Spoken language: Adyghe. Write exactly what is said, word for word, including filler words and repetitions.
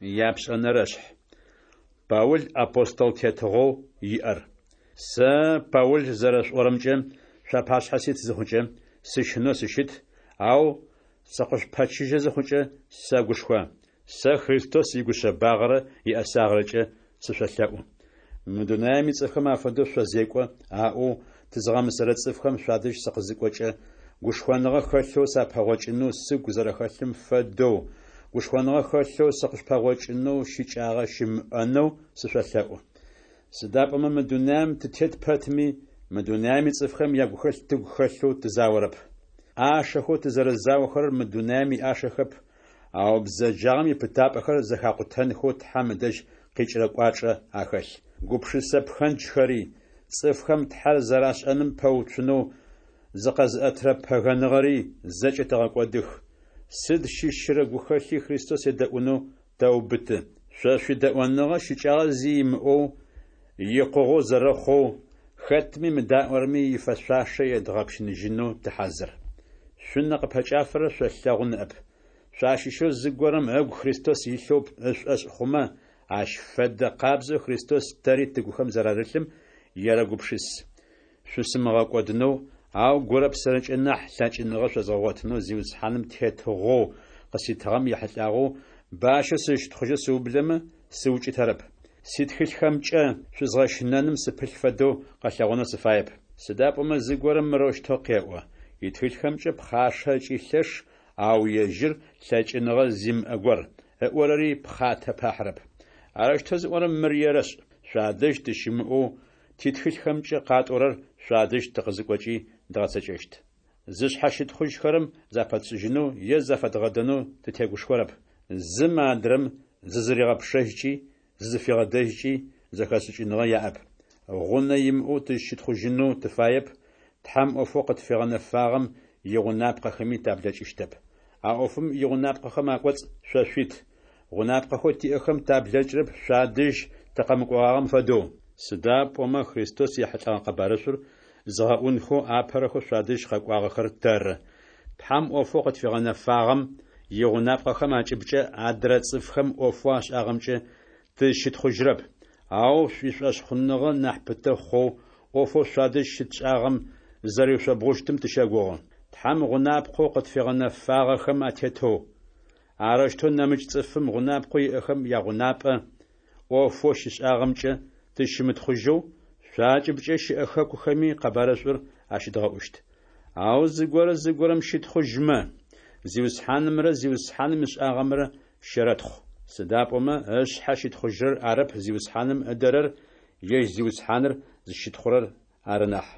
Япшӏэнэрэшъхь. Паул апостол тетыгъоу иӏэр. Сэ, Паул, зэрэшъуӏорэмкӏэ, шъуапашъхьэ сит зыхъукӏэ, сыщынэу сыщыт, ау сыкъышъупэчыжьэ зыхъукӏэ, сэгушхо. Сэ Христос игушъэбагъэрэ иӏэсагъэрэкӏэ сышъолъэӏу. Мы дунаем ицӏыфхэм афэдэу шъозекӏо, аӏоу тызгъэмысэрэ цӏыфхэм шъуадэжь сыкъызыкӏокӏэ, гушхоныгъэ хэлъэу сапэгъокӏынэу сыгу зэрэхэлъым фэдэу, гушхоныгъэ хэлъэу сыкъышъупэгъокӏынэу щыкӏагъэ щымыӏэнэу сышъолъэӏу. Сыда пӏомэ мы дунаем тытет пэтми, мы дунаем ицӏыфхэм ягухэлъ тыгу хэлъэу тызаорэп. ӏашэхэу тызэрэзаохэрэр мы дунаем иӏашэхэп, ау бзэджагъэм ипытапӏэхэр зэхакъутэнхэу Тхьэм ыдэжь къикӏырэ кӏуачӏэ ахэлъ. Гупшысэ пхэнджхэри, цӏыфхэм Тхьэр зэрашӏэным пэуцунэу зыкъэзыӏэтырэ пэгэныгъэри зэкӏэ тэгъэкӏодых, сыд щыщырэ гухэлъи Христос едэӏунэу тэубыты. Шъо шъуидэӏоныгъэ щыкӏагъэ зи имыӏэу, икъугъэу зэрэхъоу, хэтми мыдаӏорэми ифэшъуашэ едгъэпщыныжьынэу тыхьазыр. Шъунэ къыпэкӏафэрэр шъолъэгъу ныӏэп. Шъуащыщэу зыгорэм ыгу Христос илъэу ышӏошъ хъумэ, ащ фэдэ къабзэу Христос тэри тыгухэм зэрарылъым ерэгупшыс. Шъусымыгъэкӏодынэу, ау гурэ псэрэкӏэ нахь лъэкӏыныгъэ шъозгъэгъотынэу Зиусхьаным тетыгъоу къыситыгъэм ехьылӏагъэу бащэ сызщытхъужьэу сыублэмэ, сыукӏытэрэп. Ситхылъхэмкӏэ шъузгъэщынэным сыпылъ фэдэу къэлъэгъонэу сыфаеп. Сыда пӏомэ зыгорэм мырэущтэу къеӏо: Итхылъхэмкӏэ пхъашэ ыкӏи лъэш, ау ежьыр лъэкӏыныгъэ зимыӏэ гор, ыӏорэри пхъатэ пахьырэп. Арэущтэу зыӏорэм мыр ерэшӏ: Шъуадэжь тыщымыӏэу титхылъхэмкӏэ къатӏорэр шъуадэжь тыкъызыкӏокӏи дгъэцэкӏэщт. Зышъхьэ щытхъужьхэрэм запэтшӏыжьынэу е зафэдгъэдэнэу тытегушхорэп. Зым адрэм зызыригъэпшэжькӏи зызыфигъэдэжькӏи зэхэшӏыкӏыныгъэ яӏэп. Гъунэ имыӏэу тызщытхъужьынэу тыфаеп, Тхьэм ӏофэу къытфигъэнэфагъэм игъунапкъэхэми таблэкӏыщтэп. А ӏофым игъунапкъэхэм акӏоцӏ шъо шъуит. Гъунапкъэхэу тиӏэхэм таблэкӏырэп шъуадэжь тыкъэмыкӏогъагъэм фэдэу. Сыда пӏомэ Христос ехьылӏэгъэ къэбарышӏур зыгъэӏунхэу апэрэхэу шъуадэжь къэкӏуагъэхэр тэры. Тхьэм ӏофэу къытфигъэнэфагъэм игъунапкъэхэм акӏыбкӏэ адрэ цӏыфхэм ӏофэу ашӏагъэмкӏэ тызщытхъужьрэп, ау шъуишӏошъхъуныгъэ нахь пытэ хъоу ӏофэу шъуадэжь щытшӏагъэм зызэриушъомбгъущтым тыщэгугъы. Тхьэм гъунапкъэу къытфигъэнэфагъэхэм атетэу, арэущтэу нэмыкӏ цӏыфым гъунапкъэу иӏэхэм ягъунапӏэ, ӏофэу щишӏагъэмкӏэ тызщымытхъужьэу, шъуакӏыбкӏэ щыӏэ хэкухэми къэбарышӏур ащыдгъэӏущт. Ау зыгорэ зыгорэм щытхъужьмэ, Зиусхьанымрэ Зиусхьаным ышӏагъэмрэ щэрэтхъу. Сыда пӏомэ ышъхьэ щытхъужьрэр арэп Зиусхьаным ыдэрэр, ежь Зиусхьаныр зыщытхъурэр ары нахь.